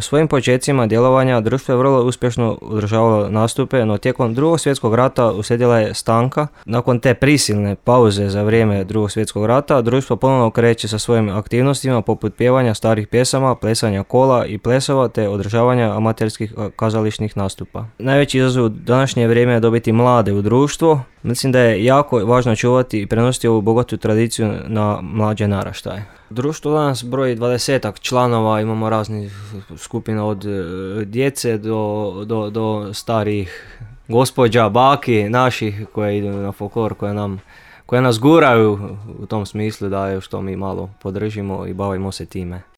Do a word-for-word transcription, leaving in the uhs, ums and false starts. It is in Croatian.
U svojim počecima djelovanja društvo je vrlo uspješno održavalo nastupe, no tijekom drugog svjetskog rata uslijedila je stanka. Nakon te prisilne pauze za vrijeme drugog svjetskog rata, društvo ponovno kreće sa svojim aktivnostima poput pjevanja starih pjesama, plesanja kola i plesova te održavanja amaterskih kazališnih nastupa. Najveći izazov u današnje vrijeme je dobiti mlade u društvo. Mislim da je jako važno čuvati i prenositi ovu bogatu tradiciju na mlađe naraštaje. Društvo danas broji dvadesetak članova, imamo raznih skupina od djece do, do, do starih gospođa, baki naših koje idu na folklor, koje, nam, koje nas guraju u tom smislu da je što mi malo podržimo i bavimo se time.